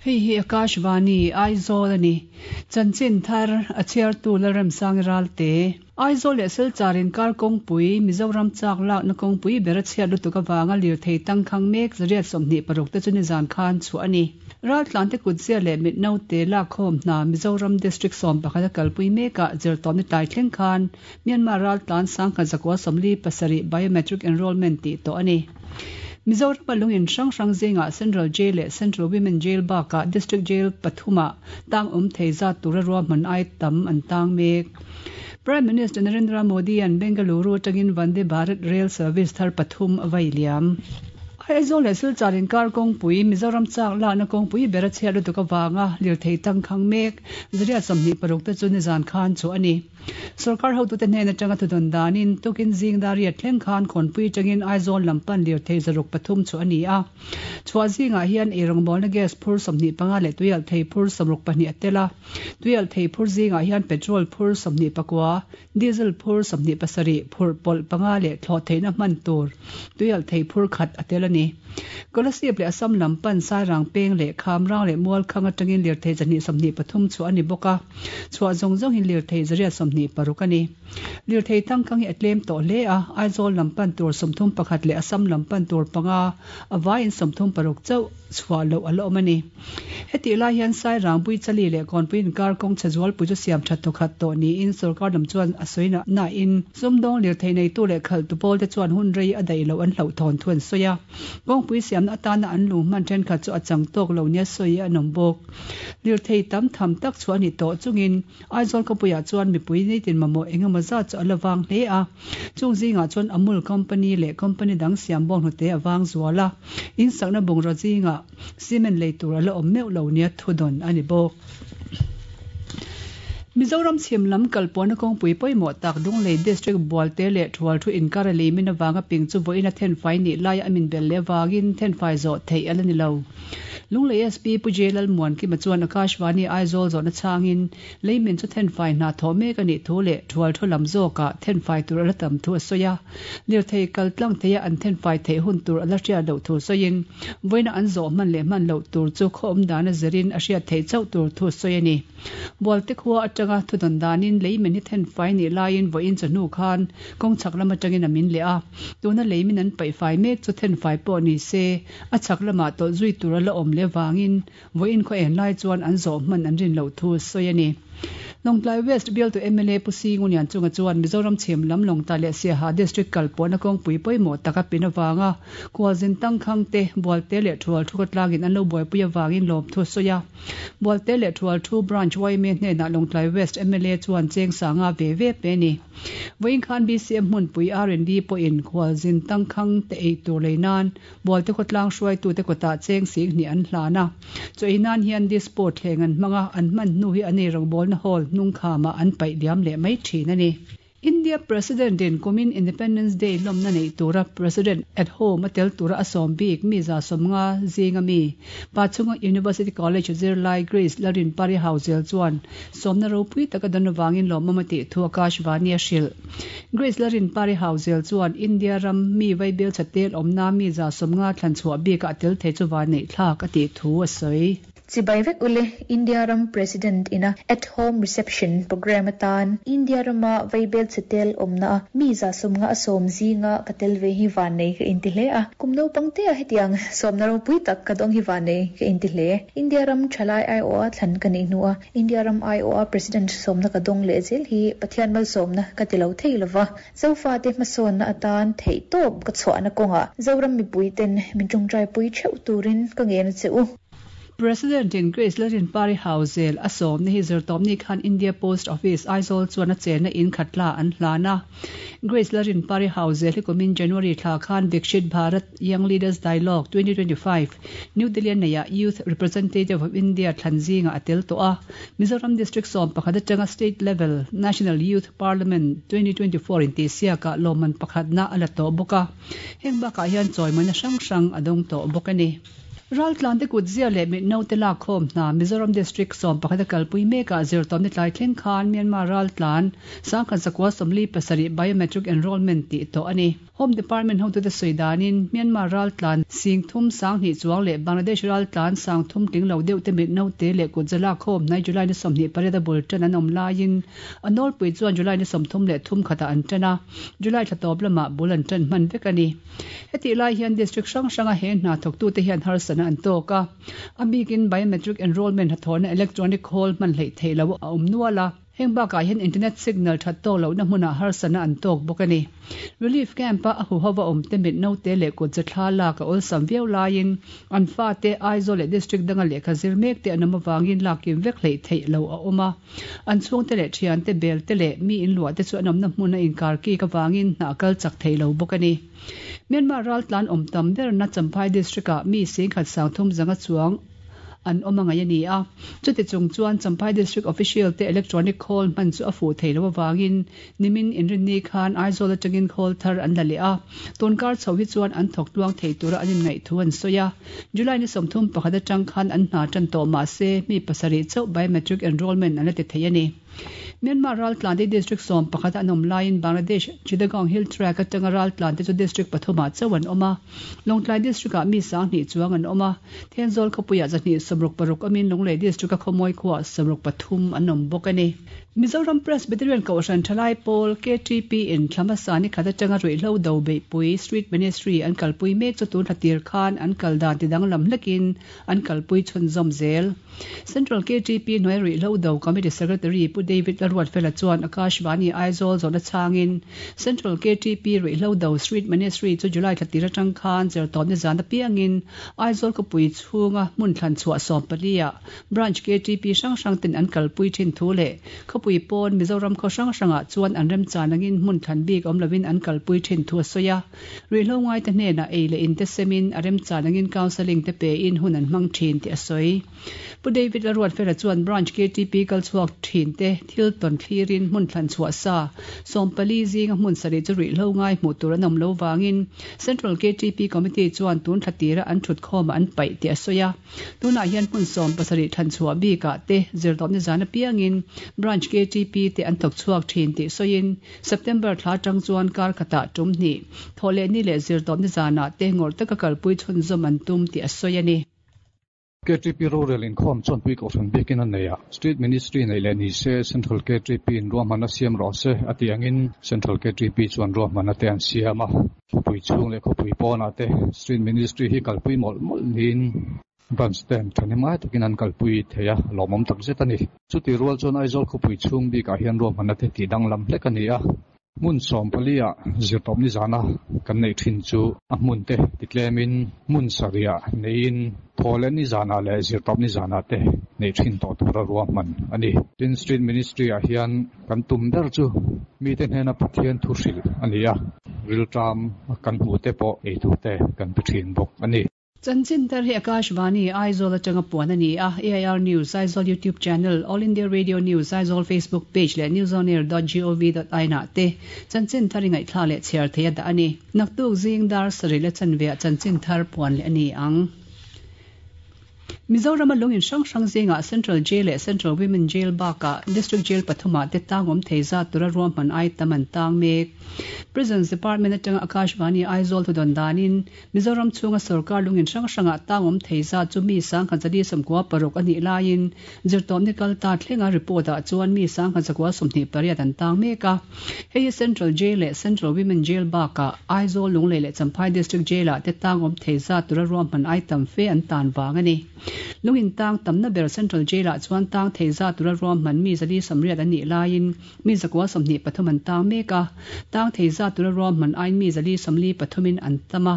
Hei hi Akashvani, Aizawl a ni. Chanchin thar, a chhiartu Lalremsangi Ralte. Aizawl leh Silchar inkar kawngpui, Mizoram chak lakna kawngpui ber a chhiat lutuk avanga lirthei tangkhang mek 126 te chu nizan khan chhuah a ni. Raltlante kutzia leh mitnote lakkhawm hna Mizoram District 11 a kalpui mekah zirtawpni tlai thleng khan Myanmar raltlan 1147 biometric enrollment tih tawh a ni. Mizorama lungin hrang hrang zingah Central Jail leh Central Women Jail bakah District Jail pathumah tang awm thei zat tura ruahman ai tam an tang mek. Prime Minister Narendra Modi-a'n Bengaluru atangin Vande Bharat Rail Service thar pathum a vai liam. Aizawl leh Silchar inkar kawngpui, Mizoram chak lakna kawngpui ber a chhiat lutuk avanga lirthei tangkhang mek 126 te chu nizan khan chhuah a ni. Sorkar hotute hnen atanga thudawn danin tukin zing dariat thleng khan Khawnpui atangin Aizawl lam pan lirthei 303 chu a ni a. Chhuah zingah hian eirawngbawlna gas phur 25 leh tuialhthei phur 62 a tel a. Tuialhthei phur zingah hian petrol phur 29, diesel phur 27, phurh pawlh panga leh thlawh theihna hman tur tuialhthei phur khat a tel a ni. Kolasib leh Assam lam pan Sairang peng leh Khamrang leh Mualkhang atangin lirthei 223 chhuah a ni bawk a. Chhuah zawng zawng hi lirthei 126 a ni. Lirthei tangkang hi a tlem tawh hle a, Aizawl lam pan tur 31 leh Assam lam pan tur panga, a vaiin 36 chauh chhuah loh a la awm a ni. Hetih lai hian Sairang, Buichali leh Kawnpui inkar kawng chhe zualpui chu siam that thawkhat tawh niin sorkar lam chuan a sawi nain sumdawng lirthei neitu leh khalhtu pawlte chuan hun rei a daih loh an hlauhthawn thu an sawi a. Kawngpui siamna atana an lung hman thenkhat chu a chang tawk lo nia sawi an awm bawk. Lirthei tam tham tak chu a ni tawh chungin Aizawl khawpuiah chuan mipui nitin mamawh eng emaw zat chu a la vang hle a. Chung zingah chuan Amul company leh company dang siam bawng hnute a vang zual a, in sakna bungraw zingah cement lei tur a la awm meuh lo nia thudawn a ni bawk. Mizoram chhim lam kalpawhna kawngpui pawimawh tak Lunglei District Bualte leh Thualthu inkar a leimin avanga ping chu vawiin a thenfai nih laia a min belh leh avangin thenfai zawh theih a la ni lo. Lunglei SP Pu J Lalmuankima chuan Akashvani Aizawl zawhna chhangin leimin chu thenfai hna thawh mek a nih thu leh Thualthu lam zawkah thenfai tur a la tam thu a sawi a. Lirthei kal tlang theia an thenfai theih hun tur a la hriat loh thu sawiin vawiina an zawh hman leh hman loh tur chu khaw awm dana zirin a hriat theih chauh tur thu sawi a ni. Bualte khua atanga thudawn danin leimin hi thenfai nih laiin vawiin chawhnu khan kawng chhak lam atangin a min leh a. Tuna leimin an paihfai mek chu thenfai pawh ni se A chhak lamah tawlh zui tur a la awm leh vangin vawiin khaw en lai chuan an zawh hman an rin loh thu sawi a ni. Lawngtlai West bialtu mla Pu Singu Lianchunga chuan Mizoram chhim lam Lawngtlai leh Siaha District kal pawhna kawngpui pawimawh taka pin avanga khualzin tangkhang te, Bualte leh Thual thu khawtlangin an lo buaipui avangin lawmthu a sawi a. Bualte leh Thual thu Branch yma hnenah Lawngtlai West mla chuan cheng sanga ve ve pe a ni. Vawiin khan BCM hmunpui R&D pawhin khualzin tangkhang te ei tur lei nan Bualte khawtlang hruaitute kawtah cheng sing hnih an hlan a. Chaw ei nan hian dispo thleng an hmang a, an hman hnu hi an ei rawngbawlna hall hnung khamah an paih liam leh mai thin a ni. India President in kumin Independence Day lawmna neih tura President at Home a tel tura a sawm bik mi 150 zinga mi Pachhunga University College zirlai Grace Lalrinpari Hauzel chuan Sawmna ropui taka dan avangin lawmawm a tih thu Akashvani a hrilh. Grace Larinpari Hauzel chuan India ram mi vaibel chhatel awmna mi 150 thlan chhuah bikah a tel thei chu vanneih thlak a tih thu a sawi. Chibai vek ule, India ram President ina At Home Reception Programme atan India rama vaibel chhatel awmna mi 150 a sawm zinga ka tel ve hi vannei ka inti hle a. Kum naupang tea hetiang sawmna ropui tak ka dawng hi vannei ka inti hle. India ram thalai aiawha thlan ka nih hnua India ram aiawha President sawmna ka dawng leh zel hi Pathian malsawmna ka ti lo thei lova, Zofate hmasawnna atan theihtawp ka chhuahna kawngah Zoram mipuiten min tawngtaipui theuh turin ka ngen a che u. President in Grace Lalrinpari Hauzel a sawmna hi zirtawpni khan India Post Office, Aizawl chuan a chenna in khatla an hlan a. Grace Lalrinpari Hauzel hi kumin January thla khan Vikshit Bharat Young Leaders Dialogue 2025, New Delhi-a neihah Youth Representative of India thlan zingah a tel tawh a. Mizoram District 11 atanga State Level National Youth Parliament 2024 intihsiakah lawmman pakhatna a la tawh bawk a. Heng bakah hian chawimawina hrang hrang a dawng tawh bawk a ni. Raltlante kutzia leh mitnaute lakkhawm hna Mizoram District 11 a kalpui mekah zirtawpni tlai thleng khan Myanmar raltlan 1147 biometric enrolment tih tawh a ni. Home Department hotute sawi danin Myanmar raltlan 30 sanghnih chuang leh Bangladesh raltlan 30 tling lo deuh te mitnaute leh kutza lakkhawm hnai July ni 28 a bul tan an awm laiin a nawlpui chuan July ni 33 khatah an tan a, July thla tawp lamah bul an tan hman vek a ni. Hetih lai hian district hrang hranga he hna thawktute hian harsatna an tawk a, a bikin biometric enrolment hnathawhna electronic khawl hman hleih theih loh a awm nual a, heng bakah hian internet signal that tawk lohna hmunah harsatna an tawk bawk a ni. Relief camp-a a huhova awmte mit naute leh kutza thla lak a awlsam viau laiin an fate Aizawl leh district danga lehkha zir mek te an awm avangin lakkim vek hleih theih loh a awm a. An chhungte leh thiante bel te leh mi inluah te chu an awmna hmun a inkar kik avangin hna kal chak thei lo bawk a ni. Myanmar raltlan awm tam berna Champhai district-ah mi 10,300 zanga chuang an awm a ngaih a ni a. Chuti chung chuan Champhai district official te electronic khawl hman chu a fuh thei lo avangin nimin inrinni khan Aizawl atangin khawl thar an la leh a. Tunkar chho hi chuan an thawk tluang thei tura an inngaih thu an sawi a. July ni 31 atang khan an hna tan tawh mah se mi pasarih chauh biometric enrolment an la ti thei a ni. Myanmar raltlan te district 11 an awm laiin Bangladesh Chittagong Hill Tract atanga raltlan te chu district pathumah chauh an awm a. Lawngtlai district ah mi 20 chuang an awm a. Thenzawl khawpuiah 266 awmin Lunglei district a Khawmawi khuaah 63 an awm bawk a ni. Mizoram Presbyterian Kohhran Thalai Pawl, KTP, in thla hmasa ni khat atanga ruihhlo do beihpui, Street Ministry, an kalpui mek chu tun thla tir khan an kal dan ti danglam hlekin an kalpui chhunzawm zel. Central KTP hnuai ruihhlo do Committee Secretary Pu David Laruatfela chuan Akashvani Aizawl zawhna chhangin Central KTP ruihhlo do Street Ministry chu July thla tir atang khan zirtawpni zan apiangin Aizawl khawpui chhunga hmun thlan chhuah 14 ah Branch KTP hrang hrang ten an kalpui thin thu leh khawpui pawn Mizoram khaw hrang hrangah chuan an remchan angin hmun thlan bik awm lovin an kalpui thin thu a sawi a. Ruihhlo ngaite hnenah ei leh in te semin a remchan angin counselling te pein hun an hmang thin tih a sawi. Pu David Laruatfela chuan Branch KTP kal chhuak thin te thil tawn thlirin hmun thlan chhuah sa 14 zinga hmun sarih chu ruihhlo ngai hmuh tur an awm lo vangin Central KTP Committee chuan tun thla tira an thut khawmah an paih tih a sawi a. Tunah hian hmun 70 thlan chhuah bikah te zirtawpni zan apiangin Branch KTP te an thawk chhuak thin tih sawiin September thla atang chuan kar khatah tum hnih, thawh leh ni leh zirtawpni zanah te ngawrh taka kalpui chhunzawm an tum tih a sawi a ni. KTP rorel inkhawm chuan pui kohhran biakin a nei a, Street Ministry neih leh ni se Central KTP in ruahmanna siam rawh se a tih angin Central KTP chuan ruahmanna te an siam a. Khawpui chhung leh khawpui pawnah te Street Ministry hi kalpui mawlh mawlh niin Branch ten thahnemngai takin an kalpui thei a, lawmawm tak zet a ni. Chutih rual chuan Aizawl khawpui chhung bikah hian ruahmanna te tih danglam hlek a ni a, hmun 14 ah zirtawpni zana kan neih thin chu a hmun te titlemin hmun sarih ah neiin thaw leh ni zanah leh zirtawpni zanah te neih thin tawh tura ruahman a ni. Tin, Street Ministry ah hian kan tum ber chu mite hnena Pathian thu hrilh a ni a, rilṭam kan hmuh te pawh ei tur te kan pe thin bawk a ni. Chanchin thar hi Akashvani, Aizawl atanga puan a ni a, AIR News, Aizawl YouTube Channel, All India Radio News, Aizawl Facebook Page leh newsonair.gov.in ah te chanchin thar i ngaihthla leh chhiar thei a dah a ni. Naktuk zing dar sarih leh chanveah chanchin thar puan leh a ni ang. Mizoram a lungin hrang hrang zingah Central Jail leh Central Women Jail bakah District Jail pathumah te tang awm thei zat tura ruahman ai tam an tang mek. Prisons Department atanga Akashvani Aizawl thudawn danin Mizoram chhunga sorkar lungin hrang hrangah tang awm thei zat chu mi 1196 a nih laiin zirtawpni kal ta thlenga report ah chuan mi 1128 an tang mek a. Hei hi Central Jail leh Central Women Jail bakah Aizawl, Lunglei leh Champhai District Jail ah te tang awm thei zat tura ruahman ai tam fe an tan vang a ni. Lungin tang tamna ber Central Jail ah chuan tang thei zat tura ruahman mi 480 an nih laiin mi 123 an tang mek a, tang thei zat tura ruahman aiin mi 443 in an tam a.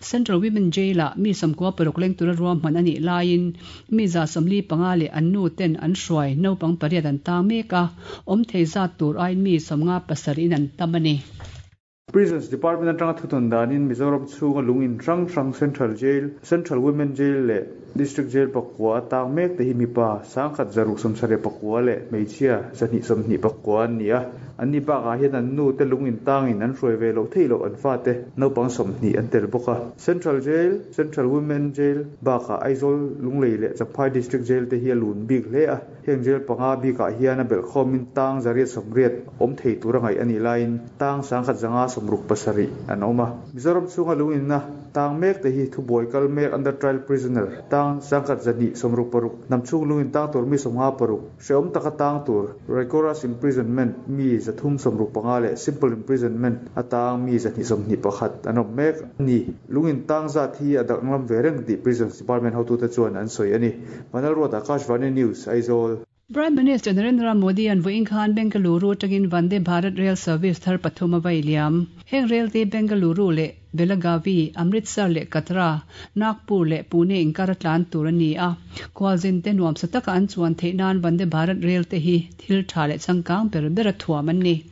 Central Women Jail ah mi 96 leng tura ruahman a nih laiin mi 145 leh an nu ten an hruai naupang pariat an tang mek a, awm thei zat tur aiin mi 57 in an tam a ni. Prisons Department atanga thudawn danin Mizoram chhunga lung in hrang hrang Central Jail, Central Women Jail leh District Jail pakua a tang mek te hi mipa 1174 leh hmeichhia 224 an ni a. Anni bakah hian an nu te lung in tangin an hruai ve loh theih loh an fate naupang 20 an tel bawk a. Central Jail, Central Women Jail bakah Aizawl, Lunglei leh Champhai District Jail te hi a lun bik hle a. Heng jail panga bikah hian a belhkhawmin tang 180 awm thei tura ngaih a nih laiin tang 1167 an awm a. Mizoram chhunga lunginna tang mek te hi thubuai kal mek under trial prisoner tang 1266, hnam chhung lungin tang tur mi 56, hrehawm taka tang tur rigorous imprisonment mi 365 leh simple imprisonment a tang mi 221 an awm mek a ni. Lungin tang zat hi a danglam ve reng tih Prisons Department hotute chuan an sawi a ni. Vanlalruat Akashvani News, Aizawl. Prime Minister Narendra Modi an vawiin khan Bengaluru atangin Vande Bharat Rail Service thar pathum a vai liam. Heng rail te Bengaluru leh Belagavi, Amritsar leh Katra, Nagpur leh Pune inkar a tlan tur a ni a. Khualzin te nuamsa taka an chuan theih nan Vande Bharat Rail te hi thil tha leh changkang ber ber a thuam an ni.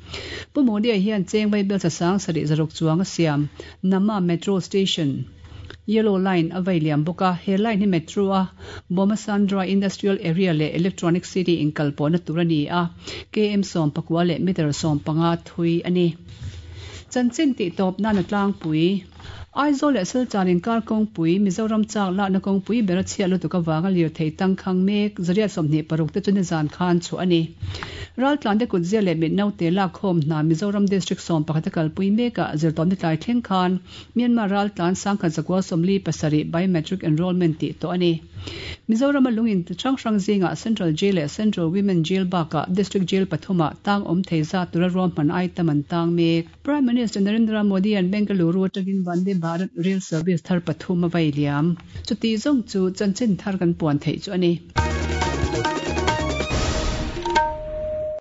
Pu Modi-a hian cheng vaibel sasang sarih zaruk chuang a siam Namma Metro Station, Yellow Line a vai liam bawk a, he line hi Metro a Bommasandra Industrial Area leh Electronic City inkalpawhna tur a ni a, km 14 leh meter 15 thui a ni. Chanchin tih tawp nan a tlangpui. Aizawl leh Silchar inkar kawngpui, Mizoram chak lakna kawngpui ber a chhiat lutuk avanga lirthei tangkhang mek 126 te chu nizan khan chhuah a ni. Raltlante kutzia leh mitnaute lakkhawm hna Mizoram District 11 a kalpui mekah zirtawpni tlai thleng khan Myanmar raltlan 1147 biometric enrollment tih tawh a ni. Mizoram a lungin hrang hrang zingah Central Jail leh Central Women Jail bakah District Jail pathumah tang awm thei zat tura ruahman item an tang mek. Prime Minister Narendra Modi an Bengaluru atangin Vande Bharat Rail Service thar pathum a vai liam. Chuti zawng chu chanchin thar kan puan theih chu a ni.